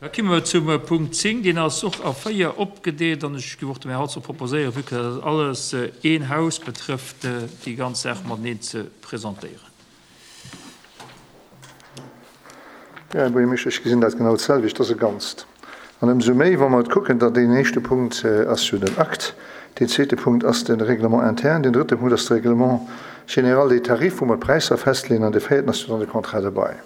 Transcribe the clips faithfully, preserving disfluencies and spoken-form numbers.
Da komme mer zum Punkt zéng, deen ass och a véier opgedeelt an ech géif och dem Här Holzer proposéieren, vue que dat alles een Haus betrëfft, déi ganz Saach mateneen ze presentéieren. Jo, Här Buergermeeschter, ech gesinn dat genau d'selwecht, dat ass e Ganzt. An ëmsou méi, wa mer et kucken, datt deen éischte Punkt ass jo den Akt, deen zweete Punkt ass de Règlement interne, deen drëtte Punkt ass de Règlement général des tarifs, wou mer d'Präisser festleeën, an de véierten ass jo dann de Contrat de bail.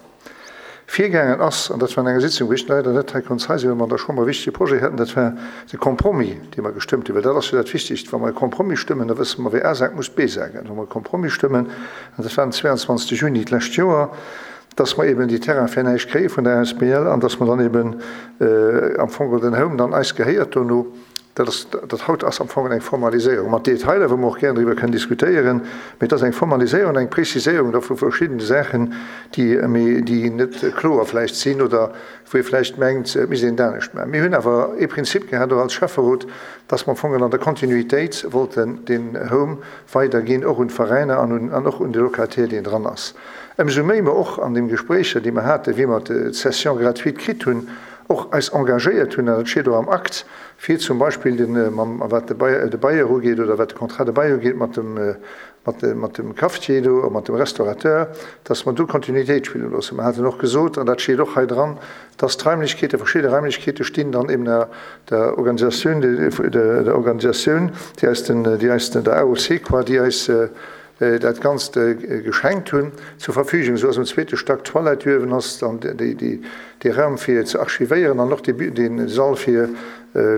Virgaangen ass, an dat war an enger Sitzung, wou ech leider net hei konnt hei sinn, well mer an der Chamber e wichtege Projet haten, dat war de Compromis, dee mer gestëmmt hunn, well dat ass jo dat Wichtigst, wa mer e Compromis stëmmen, da wësse mer, wie A sagt, muss B sagen. Wa mer e Compromis stëmmen, an dat war den zweiundzwanzegste Juni d'lescht Joer, dass mer eben déi Terraine fir näischt kréie vun der A S B L an dass mer dann eben am Fong den Home dann eis gehéiert dono. Dat ass, dat haut ass am Fong eng Formaliséierung mat Detailer, wou mer och gären driwwer kënnen diskutéieren, mee et ass eng Formaliséierung, eng Preziséierung da vu verschiddene Saachen, déi méi, déi net kloer vläicht sinn oder wou ee vläicht mengt, et misst een et anescht maachen. Mir hunn awer ee Prinzip gehat, och als Schäfferot, dass mer am Fong an der Kontinuitéit wollten deen Home weiderginn, och un d'Veräiner an un, an och un de Locataire, deen dran ass. Ëmsou méi mer och an deem Gespréicher, déi mer haten, wéi mer d'Cession gratuite kritt hunn, och eis engagéiert hunn, an dat steet och am Akt, fir zum Beispill den, mam, wat de Bail, de Bailleur ugeet oder wat de Contrat de bail ugeet mat dem, mat dem, mat dem Cafetier do, mat dem Restaurateur, dass mer do Kontinuitéit spille loossen. Mer haten och gesot, an dat steet och hei dran, dass d'Raimlechkeete, verschidde Raimlechkeete stinn dann eben der, der Organisatioun, der, der Organisatioun, déi eis den, déi eis den, der A O C quoi, déi eis dat Ganzt geschenkt hunn, zur Verfügung. Esou ass am zweete Stack d'Toilette uewen ass dann déi, déi, dee Raum fir ze archivéieren an och dee, dee Sall fir,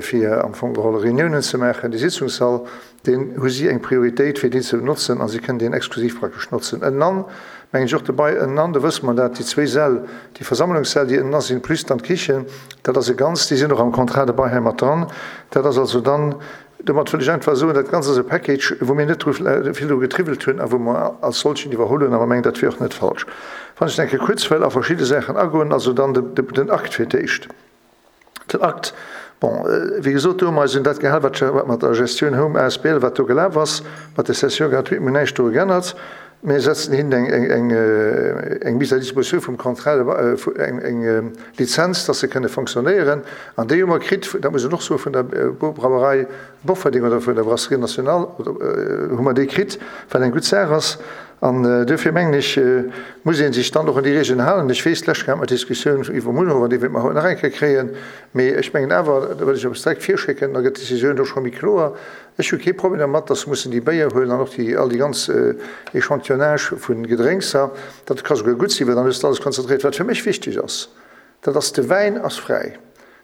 fir am Fong geholl Reuniounen ze maachen, dee Sitzungssall, deen hu si eng Prioritéit fir deen ze benotzen a si kënnen deen exklusiv praktesch notzen. Ënnenan, mengen ech och dobei, ënnenan, do wësse mer dat, déi zwee Säll, déi Versammlungssäll, déi ënnen sinn, plus dann d'Kichen, dat ass e Ganzt, déi sinn och am Contrat de bail hei mat dran. Dat ass also dann, domat wëll ech einfach soen, dat Ganzt ass e Package, wou mir net dru vill dru getriwwelt hunn a wou mer als solchen iwwerholl hunn, a mer mengen, dat wier och net falsch. Wann ech denke kuerz wëll a verschidde Saachen agoen, also dann de, de, den Akt fir d'éischt. Den Akt, bon, wéi gesot, do hu mer eis un dat gehal, wat, wat mat der Gestioun Home A S B L, wat do gelaf ass, mat der Cession gratuite, mir näischt do geännert. Mir setzen hinnen eng, eng, eng, eng Mise à disposition vum Contrat, eng, eng Lizenz, dass se kënne fonctionnéieren. An déi hu mer kritt, dat muss een och soen, vun der Brauerei Bofferding oder vun der Brasserie Nationale hu mer déi kritt, wat eng gutt Saach ass. An duerfir mengen ech, muss ee sech dann och un déi Regeln halen. Ech weess, d'lescht Kéier hat mer d'Diskussioun iwwer Munhowen, déi wäerte mer haut nach eng Kéier kréien. Mee ech mengen awer, da wëll ech eppes direkt virschécken, da gëtt d'Decisioun do scho méi kloer. Ech hu kee Problem dermat, dass se mussen déi Béier huelen an och déi, all déi ganz Échantillonnage vu Gedrénkser. Dat ka souguer gutt sinn, well dann hues de alles konzentréiert. Wat fir mech wichteg ass, dat ass, de Wäin ass fräi.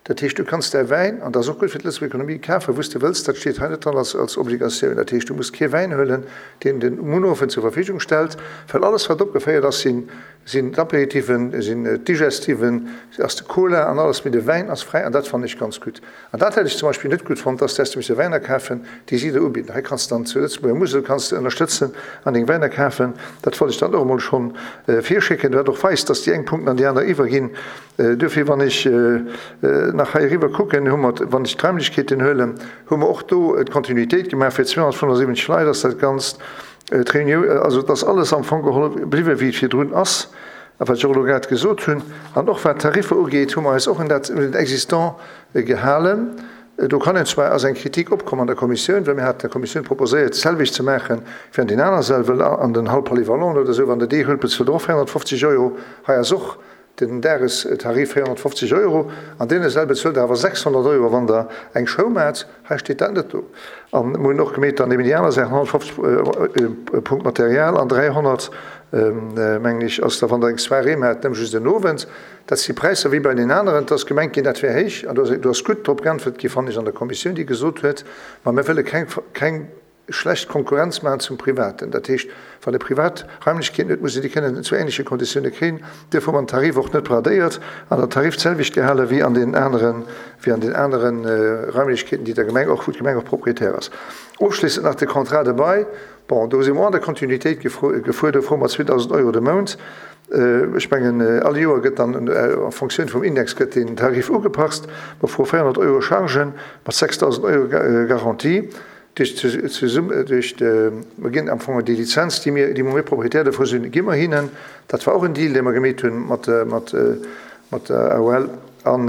Dat heescht, du kanns däi Wäin, an dat ass och gutt fir d'Lëtzebuerger Ekonomie, kafen, wou s de wëlls. Dat steet hei net dran als, als Obligatioun. Dat heescht, du muss kee Wäin huelen, deen den Munhowen zur Verfügung stellt, well alles, wat opgeféiert ass, sinn, sinn d'Apéritiven, sinn d'Digestiven, ass de Cola an alles, mee de Wäin ass fräi an dat fannen ech ganz gutt. An dat hätt ech zum Beispill net gutt fonnt, dass du häss misse Wäiner kafen, déi si der ubidden. Hei kanns du dann zu Lëtzebuerger Musel kanns du ënnerstëtzen an deng Wäiner kafen. Dat wollt ech dann och emol schonn virschécken, wat och weist, dass déi eng Punkten an déi aner iwwerginn. Duerfir, wann ech nach hei eriwwer kucken, hu mer, wann ech d'Raimlechkeeten huelen, hu mer och do d'Kontinuitéit gemaach fir zweehonnertfënnefundsiwwenzeg Leit ass dat Ganzt. D'Reunioun, also et ass alles am Fong geholl bliwwen, wéi et virdrun ass, a wat ech och elo grad gesot hunn. An och wat d'Tariffer ugeet, hu mer eis och un dat, un den Existant gehalen. Do kann een zwar, ass eng Kritik opkomm an der Kommissioun, well mir haten der Kommissioun proposéiert, d'selwecht ze maachen wéi an den aner Säll, well an den Hall polyvalent oder esou, wann Der déi huelt, bezuelt Der och véierhonnertfofzeg Euro. Hei ass och den Dagestarif véierhonnertfofzeg Euro. An deene Säll bezuelt Der awer sechshonnert Euro, wann Der eng Show maacht. Hei steet dat net do. An mir hunn och gemeet dann eben déi aner Saachen, honnertfofzeg Punkt Material an dräihonnert, mengen ech, ass da, wann Der eng Soirée maacht, nëmme just en Owend. Dat si Präisser wéi bei den aneren. Et ass gemengt ginn, dat wär héich. An do ass gutt drop geäntwert gi, fannen ech, an der Kommissioun, déi gesot huet, ma mir wëlle keng, keng schlecht Konkurrenz maachen zum Privaten. Dat heescht, wann e privat Raimlechkeeten huet, muss en déi kënnen zu ähnleche Konditioune kréien. Duerfir hu mer den Tarif och net bradéiert an den Tarif d'selwecht gehale wéi an den aneren, wéi an den aneren Raimlechkeeten, déi der Gemeng och, wou d'Gemeng och Proprietär ass. Ofschléissend nach de Contrat de bail. Bon, do si mer och an der Kontinuitéit gefuer. Do froe mer zweedausend Euro de Mount. Ech mengen, all Joer gëtt dann en Fonctioun vum Index gëtt deen Tarif ugepasst. Mer froe véierhonnert Euro Chargen mat sechsdausend Euro Garantie. Duerch zesumme, duerch de, mer ginn am Fong déi Lizenz, déi mir, déi mer Propriétaire dovu sinn, gi mer hinnen. Dat war och en Deal, dee mer gemeet hunn mat, mat, mat der A O L. An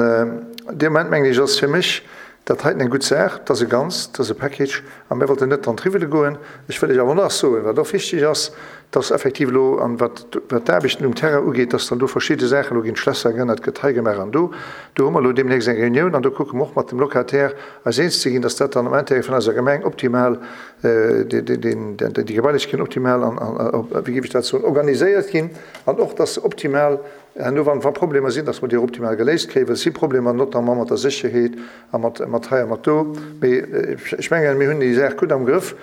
dee Moment, mengen ech, ass fir mech dat heiten eng gutt Saach, dat ass e Ganzt, dat ass e Package, a mir wollten net dran triwwele goen. Ech wëll lech awer nach soen, wat och wichteg ass, dass effektiv elo, an wat d'Aarbechten um Terrain ugeet, dass dann do verschidde Saachen, elo ginn d'Schlässer geännert, gëtt hei gemaach an do. Do hu mer elo deemnächst eng Reunioun an do kucke mer och mat dem Locataire eis eens ze ginn, dass dat dann am Intérêt vun eiser Gemeng optimal, déi Gebailechkeeten optimal an, wéi géif ech dat soen, organiséiert ginn an och, dass se optimal Herno, wann wa Problemer sinn, dass mer déi och optimal geléist kréien, well et si Problemer, notamment mat der Sécherheet a mat, mat hei a mat do. Mee ech mengen, mir hunn déi Saach gutt am Grëff.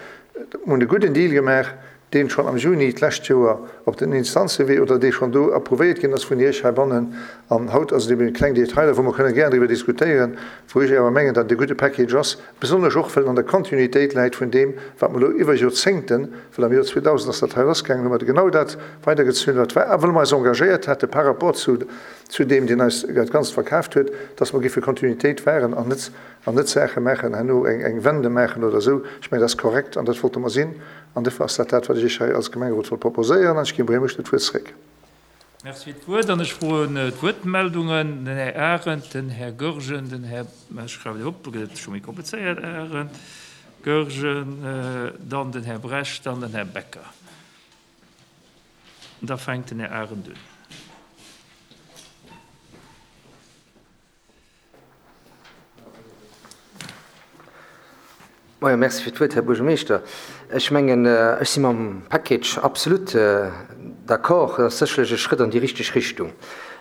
Mir hunn e gudden Deal gemaach, deen schonn am Juni d'lescht Joer op den Instanzewee oder dee schonn do approuvéiert ginn ass vun Iech heibannen. An haut ass et eben kleng Detailer, wou mer kënnen gären driwwer diskutéieren, wou ech awer mengen, datt et e gudde Package ass, besonnesch och, well en an der Kontinuitéit läit vun deem, wat mer elo iwwer Joerzéngten, well am Joer zweedausend ass dat hei lassgaangen, hu mer genau dat weidergezunn, wat war, a well mer eis engagéiert hate par rapport zu, zu deem, deen eis dat Ganzt verkaaft huet, dass mer géife Kontinuitéit wahren an net, an net Saache maachen, herno eng, eng Wende maachen oder esou. Ech mengen, dat ass korrekt an dat wollte mer sinn. An dofir ass dat dat, wat ech Iech hei als Gemengerot wollt proposéieren. An ech ginn dem Här Buergermeeschter d'Wuert zréck. Merci fir d'Wuert. An ech froen d'Wuertmeldungen, den Här Arendt, den Här Goergen, den Här, ech schreiwen op, do gëtt et scho méi komplizéiert, Arendt, Goergen, dann den Här Brecht, dann den Här Becker. Da fänkt den Här Arendt un. Moien, merci fir d'Wuert, Här Buergermeeschter. Ech mengen, ech si mam Package absolut d'accord. Dat ass sécherlech e Schrëtt an déi richteg Richtung.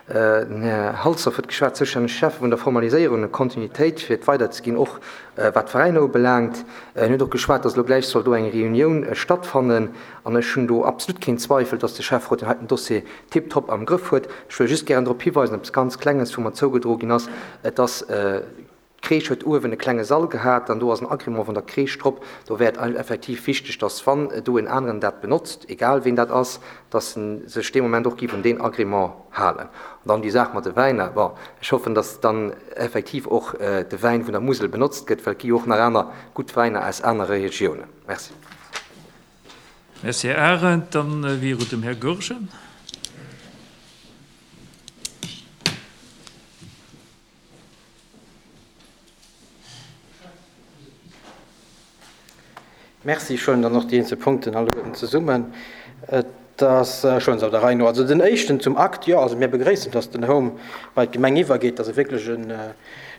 Den Här Halsdorf huet geschwat, zoustänneg Schäffe vun der Formaliséierung an Kontinuitéit fir et weiderzeginn, och wat d'Veräiner ubelaangt. En huet och geschwat, dass elo gläich soll do eng Reunioun stattfannen. An ech hunn do absolut keen Zweifel, dass de Schäfferot deen heiten Dossier tiptop am Grëff huet. Ech wëll just gären drop hiweisen, eppes ganz Klenges, wou mer zougedroe ginn ass, et ass, D'Crèche huet uewen e klenge Sall gehat an do ass en Agrément vun der Crèche drop. Do wär et effektiv wichteg, dass wann do en aneren dat benotzt, egal ween dat ass, dass en sech dee Moment och géif un deen Agrément halen. An dann déi Saach mat de Wäiner, bon, ech hoffen, dass dann effektiv och de Wäin vun der Musel benotzt gëtt, well et gi jo och nach aner gutt Wäiner aus anere Regiounen. Merci. Merci, Här Arendt. Dann wier et dem Här Goergen. Merci. Ech huelen dann och déi eenzel Punkten alleguerten zesummen. Et ass schonns op der Rei no. Also den éischten zum Akt, jo, also mir begréissen, dass den Home bei d'Gemeng iwwergeet. Dat ass wierklech e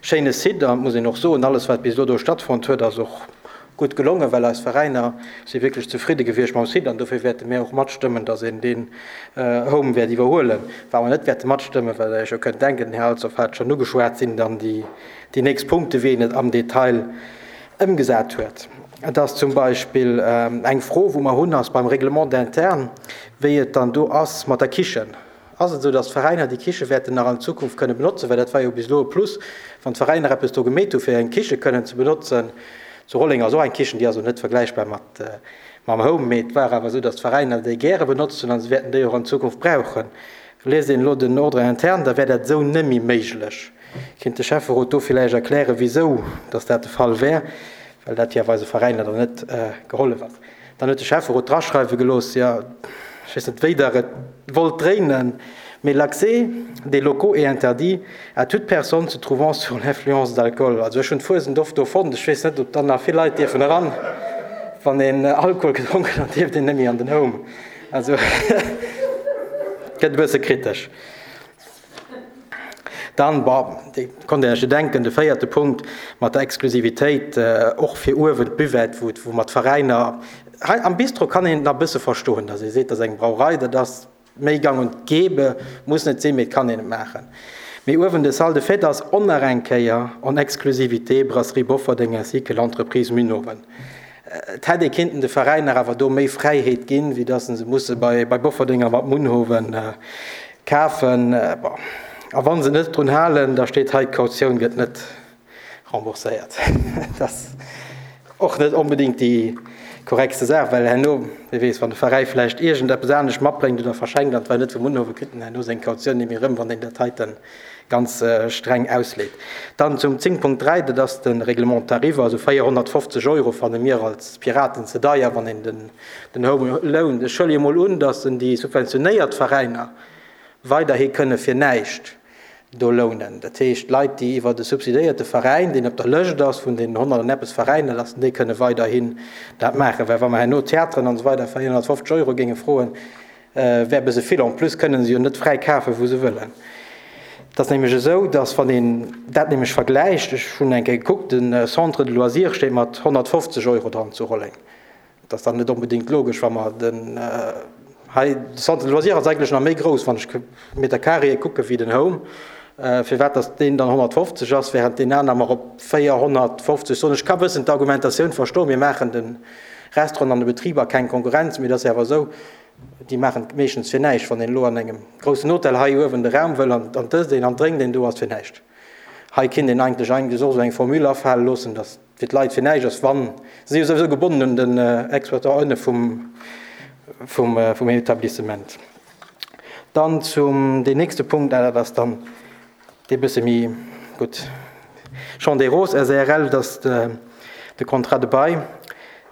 schéine Site an et muss een och soen, alles wat bis elo do stattfonnt huet, ass och gutt gelongen, well eis Veräiner si wierklech zefridde gewiescht mam Site an dofir wäerte mir och matstëmmen, dass een deen Home wäert iwwerhuelen. Wat mer net wäerte matstëmmen, well Der Iech jo kënnt denken, den Här Halsdorf hat et schonn ugeschwat, sinn dann déi nächst Punkte wéi een et am Detail ëmgesat huet. Et ass zum Beispill eng Fro, wou mer hunn, ass beim Règlement interne, wéi et dann do ass mat der Kichen. Ass et esou, dass d'Veräiner déi Kiche wäerten nach an Zukunft kënne benotzen? Well dat war jo bis elo e Plus, wann d'Veräiner eppes do gemeet hu fir eng Kiche kënnen ze benotzen. Zu Rolleng ass och eng Kichen, déi ass elo net vergläichbar mat mam Home, mee et war awer esou, dass d'Veräiner déi gäre benotzt hunn a se wäerten déi och an Zukunft brauchen. Liest een elo den Ordre interne, da wär dat esou nëmme méiglech. Kéint de Schäfferot do villäicht erklären, wisou dass dat de Fall wär, well dat jo awer eise Veräiner dann net gehollef ass. Dann huet de Schäfferot draschreiwe gelooss, jo, ech weess net, wéi Der et wollt dréinen, mee l'accès des locaux est interdit à toute personne se trouvant sous l'influence d'alcool. Also ech hunn d'Fuesent oft do fonnt, ech weess net, ob dann nach vill Leit dierfen eran. Wann een Alkohol gedronken huet, dierft een net méi an den Home. Also gëtt e bësse kritesch. Dann, bon, Dir konnt Iech jo denken, de véierte Punkt mat der Exklusivitéit, och fir uewen d'Buvette, wou, wou mer d'Veräiner, hei am Bistro kann een et nach e bësse verstoen, datt ee seet, dat ass eng Brauerei, dat ass méi gang und gäbe, muss net sinn, mee et kann een et maachen. Mee uewen de Salle de fête ass och nach eng Kéier en exclusivité Brasserie Bofferding ainsi que l'entreprise Munhowen. Et hätt ee kinnten de Veräiner awer do méi Fräiheet ginn, wéi datt se musse bei Bofferding a mat Munhowen kafen. Bon, a wa se net drun halen, da steet hei, d'Kautioun gëtt net rembourséiert. Dat ass och net onbedéngt déi korrektste Saach, well herno, wie weess, wann de Veräi vläicht iergendeppes anescht matbréngt oder verschenkt an et war net vu Munhowen, kritt en herno seng Kautioun net méi erëm, wann een dat heiten ganz streng ausleet. Dann zum zéng Punkt dräi, dat ass de Règlement de tarif, also véierhonnertfofzeg Euro fanne mir als Piraten ze deier, wann een den den Home lount. Ech huele jo mol un, datt en déi subventionéiert Veräiner weiderhi kënne fir näischt do lounen. Dat heescht, Leit, déi iwwer e subsidéierte Veräin, deen op der Lëscht ass vun den honnert an eppes Veräiner, dass déi kënne weiderhin dat maachen. Well wa mer herno Theateren an esou weider véierhonnertfofzeg Euro géinge froen, wär e bësse vill. En plus kënne se jo net fräi kafen, wou se wëllen. Et ass nämlech esou, dass wann een dat nämlech vergläicht, ech hunn eng Kéier gekuckt, de Centre de loisirs steet mat honnertfofzeg Euro dran zu Rolleng. Dat ass dann net onbedéngt logesch, wa mer den hei, de Centre de loisirs ass eigentlech nach méi grouss, wann ech Meter carréë kucke wéi den Home, firwat dass deen dann honnertfofzeg ass, während deen aner mer op véierhonnertfofzeg soen. Ech ka bëssen d'Argumentatioun verstoen, mir maachen de Restauranten an de Betriber keng Konkurrenz, mee et ass jo awer esou, Déi maachen et meeschtens fir näischt. Wann een elo an engem groussen Hotel hei uewen de Raum wëll an dëst een an drénkt een, do ass fir näischt. Hei kinnt een eigentlech eigentlech och esou eng Formule afale loossen, datt fir d'Leit fir näischt ass, wann se si jo souwisou gebonnen un den Exploitant ënne vum, vum, vum Etablissement. Dann zum deen nächste Punkt, dat ass dann dee bësse méi gutt, Champ des Roses SARL, dat ass de, de Contrat de bail.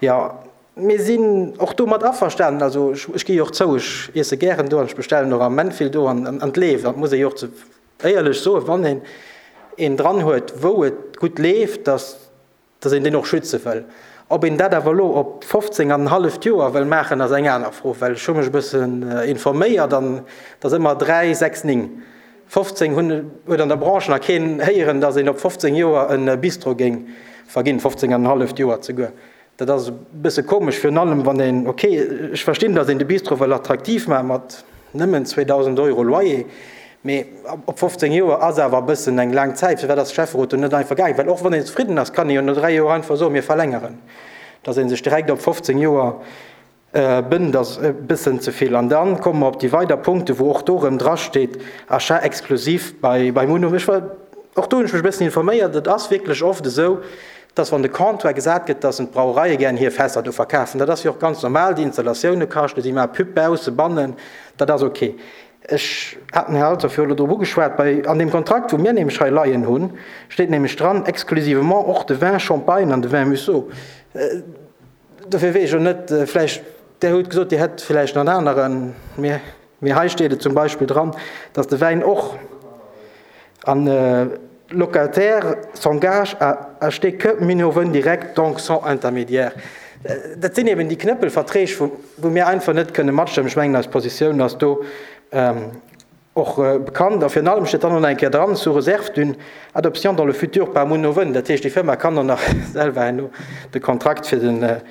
Jo, Mir sinn och domat averstanen. Also ech gi jo och zou, ech iesse gären do an ech bestellen och am Ament vill do an et leeft. An et muss ee jo och ze éierlech soen, wann een een dran huet, wou et gutt leeft, dass dass een deen och schütze wëll. Ob een dat awer elo op fofzéng an en halleft Joer wëll maachen, ass eng aner Fro, well ech hu mech e bëssen informéiert an et ass ëmmer dräi, sechs, ning. Fofzéng hunn huet an der Branche nach keen héieren, dass een op fofzéng Joer e Bistro géing verginn, fofzéng an en halleft Joer zeguer. Dat ass e bësse komesch, virun allem wann een, ok, ech verstinn, datt een de Bistro wëll attraktiv maache mat nëmmen zweedausend Euro Loyer, mee op fofzéng Joer ass awer e bëssen eng laang Zäit. Firwat ass de Schäfferot do net einfach gaangen? Well och wann een zefridden ass, kann ee jo no dräi Joer einfach soen, mir verlängeren. Datt ee sech direkt op fofzéng Joer bënnt, ass e bëssen ze vill. An da komme mer op déi weider Punkten, wou och do erëm drasteet, Achat exclusif bei Munhowen. Ech war, och do hunn ech mech e bëssen informéiert, et ass wierklech oft esou, dass wann de Comptoir gesat gëtt, dass en d'Brauereie gären hir Fässer do verkafen. Dat ass jo och ganz normal, déi Installatioune kaschten, si maache Pub bausse, bannen, dat ass ok. Ech hat den Här Althoff jo elo drop ugeschwat, bei an deem Kontrakt, wou mir nämlech hei leien hunn, steet nämlech dran, exclusivement och de Vin Champagne an de Vin Musso. Dofir weess ech elo net, vläicht, Der hutt gesot, Dir hätt vläicht nach en aneren, mee hei steet et zum Beispill dran, dass de Wäin och an, Locataire s'engage à acheter que Minerven direct, donc sans intermédiaire. Dat sinn eben déi Knëppelverträg, wou mir einfach net kënne matstëmmen. Ech mengen, eis Positioun ass do och bekannt. A virun allem steet dann och nach eng Kéier dran, sous réserve d'une adoption dans le futur par Munhowen. Dat heescht, déi Firma kann och nach selwer herno de Kontrakt fir den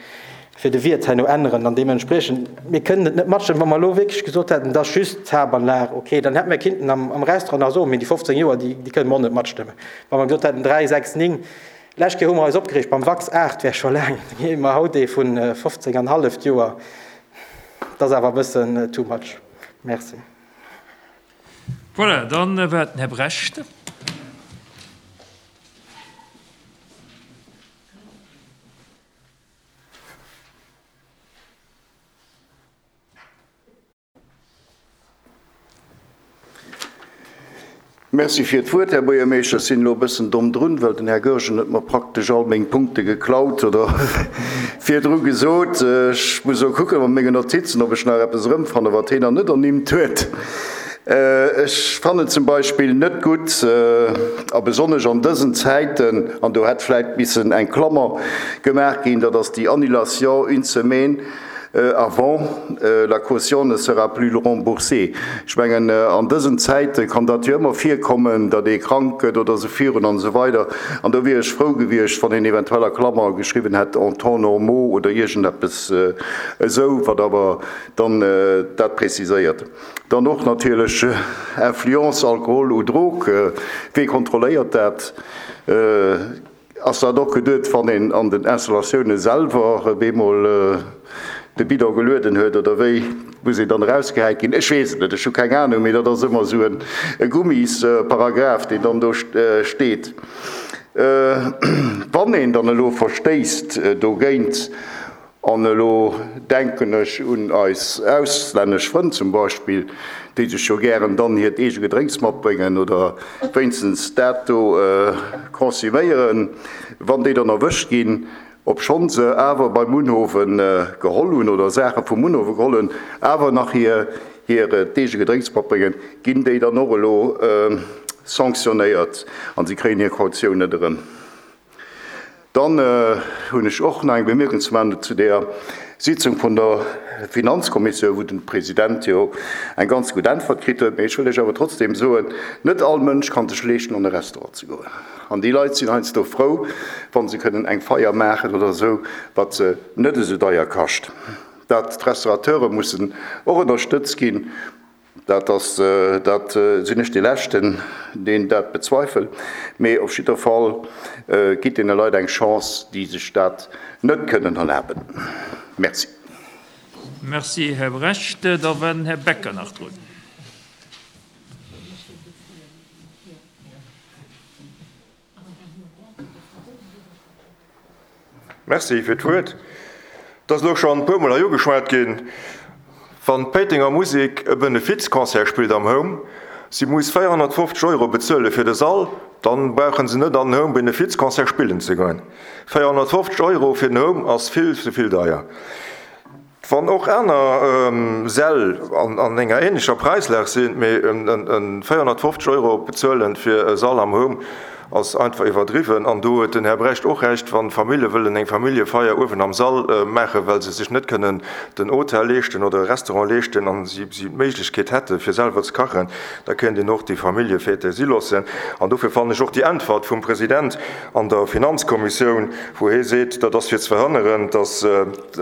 fir de Wiert herno änneren an deementspriechend, mir kënnen et net matstëmmen. Wa mer elo wierklech gesot hätten, et ass just d'Haaptanlag, okay, dann hätte mir kinnten am, am Restaurant nach soen, mee déi fofzéng Joer, déi, déi kënnen mer och net matstëmmen. Wa mer gesot hätten dräi, sechs, ning, lescht Kéier hu mer eis opgereegt beim Wachs, aacht wär scho laang, da gi mer haut ee vu fofzéng an halleft Joer, dat ass awer e bëssen too much. Merci. Voilà, dann war et den Här Brecht. Merci fir d'Wuert, Här Buergermeeschter. Ech sinn elo e bëssen domm drun, well den Här Goergen huet mer praktesch all meng Punkte geklaut oder virdru gesot. Ech muss elo kucken a mengen Notizen, ob ech nach eppes erëmfannen, wat hien nach net ernimmt huet. Ech fannen zum Beispill net gutt, a besonnesch an dësen Zäiten, an do hätt vläicht missen eng Klammer gemaach ginn, dat ass déi Annulation une semaine avant, la caution ne sera plus remboursée. Ech mengen, an dësen Zäite kann dat jo ëmmer virkommen, datt ee krank gëtt oder esou virun an esou weider. An do wier ech frou gewiescht, wann een eventuell a Klammer geschriwwen hätt en temps normaux oder iergendeppes esou, wat awer dann dat preziséiert. Dann och natierlech Influence, Alkohol ou Drogue, wee kontrolléiert dat? Ass dat och geduet, wann een an den Installatioune selwer bemol de Bidon gelueden huet oder wéi? Muss een dann erausgehäit ginn? Ech weess et net, ech hu keng Anung, mee dat ass ëmmer esou e Gummisparagraph, deen dann do steet. Wann een dann elo verstéisst dogéint, An elo denken ech un eis auslännesch Frënn zum Beispill, déi sech jo gären dann hiert eege Gedrénks matbréngen oder wéinstens dat do consumméieren, wann déi dann erwëscht ginn, obschonn se awer beim Munhowen geholl hunn oder Saache vum Munhowe geholl hunn, awer nach hiert eege Gedrénks matbréngen, ginn déi dann och elo sanktionéiert an si kréien hir Kautioun net erëm. Dann hunn ech och nach eng Bemierkung ze maachen zu där Sitzung vun der Finanzkommissioun, wou den President jo eng ganz gutt Äntwert kritt huet. Mee ech wëll lech awer trotzdem soen, net all Mënsch kann sech leeschten, an e Restaurant ze goen. An déi Leit sinn heiansdo frou, wa se kënnen eng Feier maachen oder esou, wat se net esou deier kascht. Dat d'Restaurateure mussen och ënnerstëtzt ginn, dat ass, dat sinn ech dee Leschten, deen dat bezweifelt. Mee op jidder Fall gitt deene Leit eng Chance, déi sech dat net kënnen erlaben. Merci. Merci, Här Brecht. Da war den Här Becker nach drun. Merci fir d'Wuert. Et ass elo schonn e puermol hei ugeschwat ginn, Wann d'Péitenger Musek e Benefizconcert spillt am Home, si muss véierhonnertfofzeg Euro bezuele fir de Sall, dann brauche se net an den Home Benefizconcert spillen ze goen. Véierhonnertfofzeg Euro fir den Home ass vill ze vill deier. Wann och aner Säll an enger ähnlecher Präislag sinn, mee véierhonnertfofzeg Euro bezuelen fir e Sall am Home ass einfach iwwerdriwwen. An do huet den Här Brecht och Recht, wann Famillje wëllen eng Familljefeier uewen am Sall maachen, well se sech net kënnen den Hotel leeschten oder e Restaurant leeschten an si d'Méiglechkeet hätte fir selwer ze kachen, da kéint een och déi Familljefête si loossen. An dofir fannen ech och déi Äntwert vum President an der Finanzkommissioun, wou hie seet, dat ass fir ze verhënneren, datt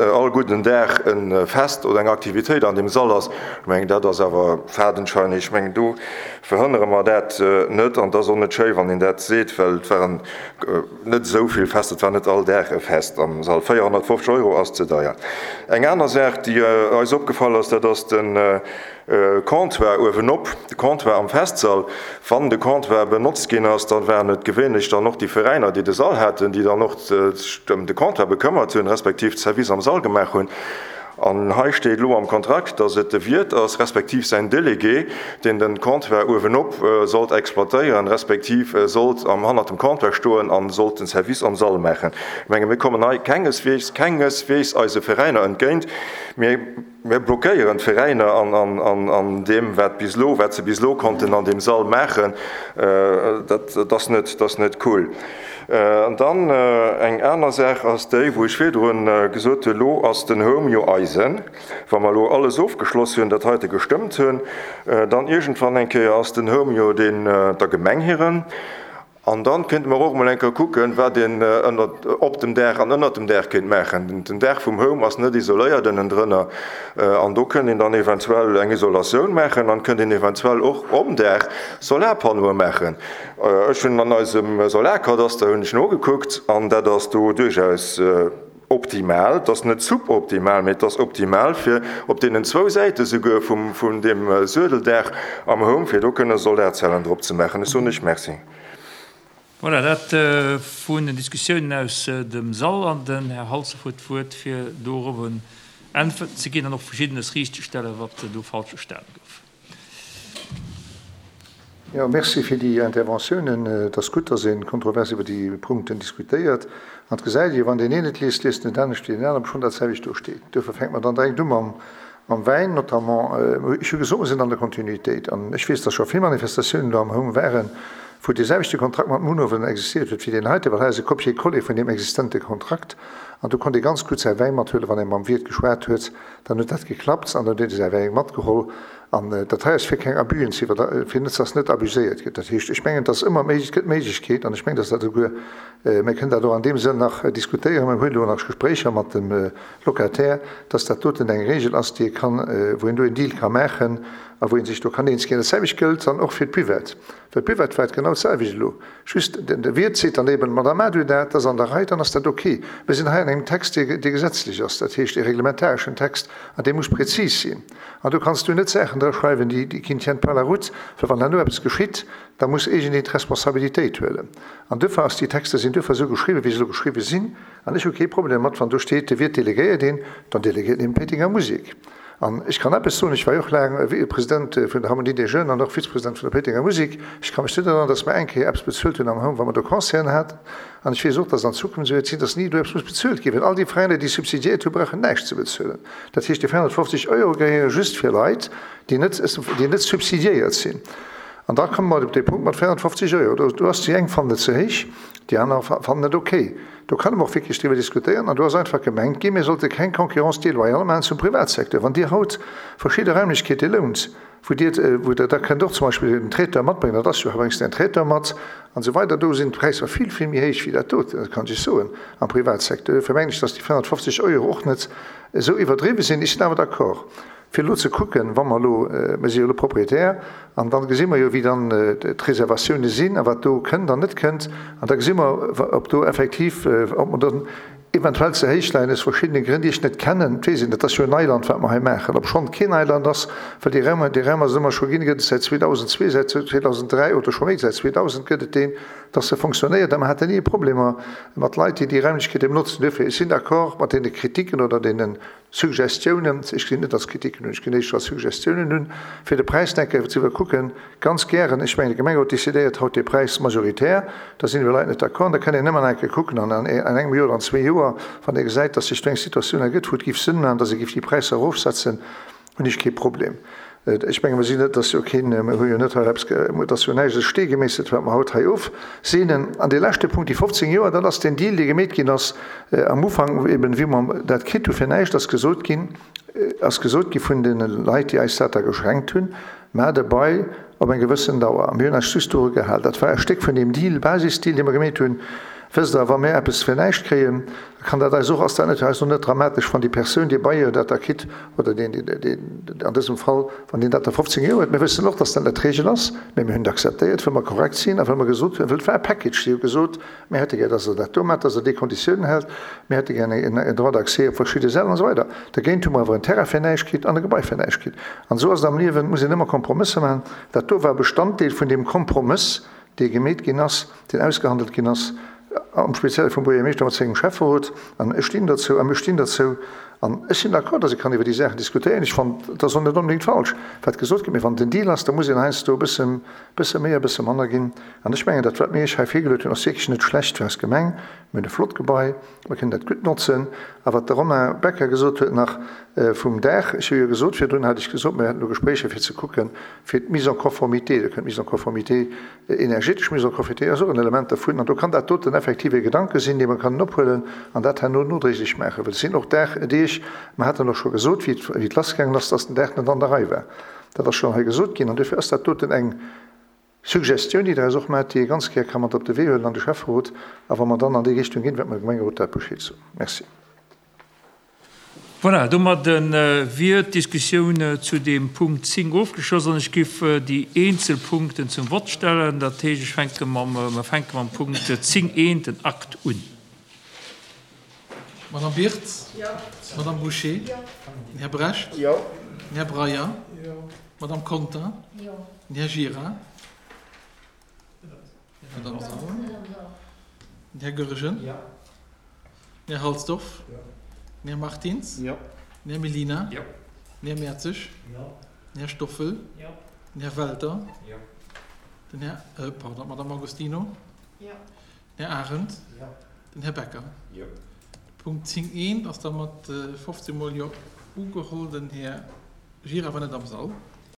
all gudden Dag e Fest oder eng Aktivitéit an deem Sall ass, ech mengen, dat ass awer fadenscheinig. Ech mengen, do verhënnere mer dat net. An et ass och net schéi, wann een dat seet, well et waren net esou vill Fester, et war net all Dag e Fest am Sall. véierhonnertfofzeg Euro ass ze deier. Eng aner Saach, déi eis opgefall ass, dat ass de Comptoir uewenop, de Comptoir am Festsall. Wann de Comptoir benotzt ginn ass, da waren et gewéinlech dann och déi Veräiner, déi de Sall haten, déi dann och sech ëm de Comptoir bekëmmert hunn, respektiv de Service am Sall gemaach hunn. An hei steet elo am Kontrakt, dass et de Wiert ass, respektiv säin Délégué, deen de Comptoir uewenop sollt exploitéieren, respektiv sollt am hannert dem Comptoir stoen a sollt den Service am Sall maachen. Ech menge mir kommen hei kengesweegs, kengesweegs eise Veräiner entgéint. Mir, mir blockéieren d'Veräiner an, an, an, an deem, wat bis elo, wat se bis elo konnten an deem Sall maachen. Dat, dat ass net, dat ass net cool. An dann eng aner Saach ass déi, wou ech virdrun gesot hunn, elo ass den Home jo eisen. Wa mer elo alles ofgeschloss hunn, dat heite gestëmmt hunn, dann iergendwann eng Kéier ass den Home jo deen der Gemeng hiren. An dann kéinte mer och emol eng Kéier kucken, wat een ënnert, op dem Daach an ënnert dem Daach kéint maachen. Den Daach vum Home ass net isoléiert ënnendrënner. An do kënnt een dann eventuell eng Isolatioun maachen an kënnt een eventuell och om Daach Solarpannoe maachen. Ech hunn an eisem Solarkadaster hunn ech nogekuckt an dat ass do duerchaus optimal. Et ass net suboptimal, mee et ass optimal fir op deenen zwou Säite souguer vum, vun deem Suedeldaach am Home, fir do kënne Solarzellen drop ze maachen. Ech soen lech Merci. Voilà, dat vun den Diskussiounen aus dem Sall an den Här Halsdorf huet d'Wuert, fir dorobber Äntwerten ze ginn an och Verschiddenes riichtzestellen, wat do falsch verstanen gouf. Jo, merci fir déi Interventiounen. Et ass gutt, dass ee kontrovers iwwer déi Punkten diskutéiert. An et gesäit ee, wann deen een et liest, liest en et anescht wéi deen aneren, obschonn dat selwecht do steet. Duerfir fänke mer dann direkt u mam Mam Wäin notamment. Ech hu gesot, mer sinn an der Kontinuitéit. An ech weess, dass scho vill Manifestatiounen do am Home waren, wou dee selwechte Kontrakt mat Munhowen existiert huet wéi deen heite, well hei ass e Copier-coller vun deem existente Kontrakt. An do konnt ee ganz gutt säi Wäin mathuelen, wann ee mam Wiert geschwat huet, dann huet dat geklappt an dann huet ee säi Wäin matgeholl. An dat hei ass fir keng Abüen ze iwwer, fir net, dass net abuséiert gëtt. Dat heescht, ech mengen, dass ëmmer méi, et gëtt Méiglechkeet, an ech mengen, dass dat esouguer, mir kënnen dat och an deem Sënn nach diskutéieren, mir hunn elo nach Gespréicher mat dem Locataire, dass dat doten eng Regel ass, déi ee kann, wou een do een Deal ka maachen a wou ee sech do kann eens ginn. Dat selwecht gëllt dann och fir d'Buvette, well d'Buvette war et genau d'selwecht elo. Just de Wiert seet dann eben, Madame, maacht du dat, dat ass an der Rei, dann ass dat ok. Mir sinn hei an engem Text, dee gesetzlech ass, dat heescht e reglementareschen Text, an dee muss prezis sinn. An do kanns du net Saachen dra schreiwen, déi qui ne tiennent pas la route, well wann herno eppes geschitt, da muss iergendeen d'Responsabilitéit huelen. An duerfir ass, déi Texter sinn duerfir esou geschriwwen, wéi se elo geschriwwen sinn. An ech hu kee Problem dermat, wann do steet, de Wiert delegéiert een, dann delegéiert en eben d'Péitenger Musek. An ech kann eppes soen, ech war jo och laang President vun der Harmonie des Jeunes an och Vizepresident vun der Péitenger Musek, ech ka mech net erënneren, datt mer eng Kéier eppes bezuelt hunn am Home, wa mer do Concerten haten. An ech weess och, datt an Zukunft esou wäert sinn, datt ni do eppes muss bezuelt ginn, well all déi Veräiner, déi subsidiéiert hunn, brauchen näischt ze bezuelen. Dat heescht, déi véierhonnertfofzeg Euro gehéiere just fir Leit, déi net, déi net subsidiéiert sinn. An da komme mer op dee Punkt mat véierhonnertfofzeg Euro. Do, do ass déi eng fannen et ze héich, déi aner fannen et okay. Do kann mer och wierklech driwwer diskutéieren. An do ass einfach gemengt ginn, mir sollte keng Concurrence déloyale maachen zum Privatsecteur. Wann Dir haut verschidde Raimlechkeete lount, wou Dir, wou Der da kënnt och zum Beispill en Traiteur matbréngen, dat ass jo, bréngs de en Traiteur mat an esou weider, do sinn d'Präisser vill, vill méi héich wéi dat doten, dat kann ech Iech soen, am Privatsecteur. Duerfir mengen ech, dass déi véierhonnertfofzeg Euro och net esou iwwerdriwwe sinn. Ech sinn awer d'accord, fir elo ze kucken, wa mer elo, mir si jo elo Propriétaire, an da gesi mer jo, wéi dann d'Reservatioune sinn a wat do kënnt an net kënnt, an da gesi mer, ob do effektiv, ob mer dann eventuell ze héich leien, aus verschiddene Grënn, déi ech net kennen. Et weess een, dat ass jo Neiland, wat mer hei maachen, obschonn et keen Neiland ass, well déi Raim, dee Raum ass et ëmmer scho ginn, gëtt et säit zweedausendzwee, säit zweedausenddräi oder scho méi, säit zweedausend gëtt et deen, dass e fonctionnéiert a mer haten ni Problemer mat Leit, déi déi Raimlechkeete benotzen. Duerfir, ech sinn d'accord mat deene Kritiken oder deene Suggestiounen, ech gesinn net als Kritiken un, ech gesinn éischter als Suggestiounen un, fir de Präis eng Kéier ze iwwerkucken, ganz gären. Ech mengen, de Gemengerot décidéiert haut dee Präis majoritär, da sinn elo Leit net d'accord an da kann een ëmmer nach eng Kéier kucken an an engem Joer oder an zwee Joer, wann ee gesäit, dass sech do eng Situatioun ergëtt, wou et géif Sënn maachen, dass ee géif déi Präisser erofsetzen, hunn ech kee Problem. Ech menge mer sinn net, dass jo keen, mer hu jo net hei eppes, et ass jo näischt a Stee gemeesselt, wat mer haut hei ofseenen. An dee leschte Punkt, déi fofzéng Joer, dat ass deen Deal, dee gemeet ginn ass am Ufank, eben wéi mer dat kritt hu fir näischt, ass gesot ginn, ass gesot gi vun deene Leit, déi eis dat da geschenkt hunn, Maacht e Bail op eng gewëssen Dauer. A mir hunn eis just doru gehal. Dat war e Stéck vun deem Deal, Basisdeal, dee mer gemeet hunn. Wësst Der, wa mir eppes fir näischt kréien, da kann dat eis och, ass dat net fir eis och net dramatesch, wann déi Persoun, dee Bailleur dat da kritt, oder deen, deen, an dësem Fall, wann deen dat da fofzéng Joer huet. Mir wëssen och, dass dat net d'Regel ass, mä mir hunn et akzeptéiert, wëll mer korrekt sinn a wëll mer gesot hunn, wëll et war e Package, si hu gesot, mir hätte gär, dass Der dat do maacht, dass Der déi Konditiounen hält, mir hätte gär en Droit d'accès op verschidde Säll an esou weider. Dergéint hu mer awer en Terrain fir näischt kritt an e Gebai fir näischt kritt. An esou ass et am Liewen, et muss een ëmmer Kompromësser maachen. Dat do war Bestanddeel vun deem Kompromëss, dee gemeet ginn ass, deen ausgehandelt ginn ass, am Spezielle vum Buergermeeschter mat sengem Schäfferot. An ech stinn derzou a mir stinn derzou. An ech sinn d'accord, datt ee kann iwwer déi Saachen diskutéieren. Ech fannen, et ass och net onbedéngt falsch, wat gesot gëtt. Mee wann et en Deal ass, da muss een heiansdo e bësse, bësse méi a bësse manner ginn. An ech mengen, dat, wat mir Iech hei virgeluet hunn, ass wierklech net schlecht fir eis Gemeng. Mir hunn e flott Gebai, mir kënnen dat gutt notzen. A wat de Romain Becker gesot huet nach vum Daach, ech hu jo gesot, virdrun hat ech gesot, mir hätten elo Gespréicher fir ze kucken, fir d'Mise en conformité, do kënnt d'Mise en conformité, energetesch Mise en conformité ass och en Element dervun, an do kann dat doten effektiv e Gedanke sinn, dee mer kënnen ophuelen an dat herno nodréiglech maachen. Well et sinn och Daach, Deeg, mer haten och scho gesot, wéi et, wéi et lassgaangen ass, dass den Daach net an der Rei war. Dat ass schonn hei gesot ginn an duerfir ass dat doten eng Suggestioun, déi Der eis och maacht, déi ee ganz gär ka mat op de Wee huelen an de Schäfferot. A wa mer dann an déi Richtung ginn, wäerte mer dem Gemengerot dat Bescheed soen. Merci. Voilà, domat wier d'Diskussioun zu deem Punkt zéng ofgeschloss an ech géif déi eenzel Punkten zum Vott stellen. Dat heescht, ech fänke mam, mer fänke mam Punkt zéng eent, den Akt, un. Madame Birtz? Jo. Madame Bouché? Jo. Den Här Brecht? Jo. Den Här Breyer? Jo. Madame Conter? Jo. Den Här Gira? Madame Sauer? Den Här Goergen? Jo. Den Här Halsdorf? Jo. Den Här Martins? Jo. Den Här Mellina? Jo. Den Här Mertzig? Jo. Den Här Stoffel? Jo. Den Här Welter? Jo. Den Här, äh, pardon, d'Madame Agostino? Jo. Den Här Arendt? Jo. Den Här Becker? Jo. Punkt zéng eent ass da mat fofzéng mol Jo ugeholl. Den Här Gira war net am Sall.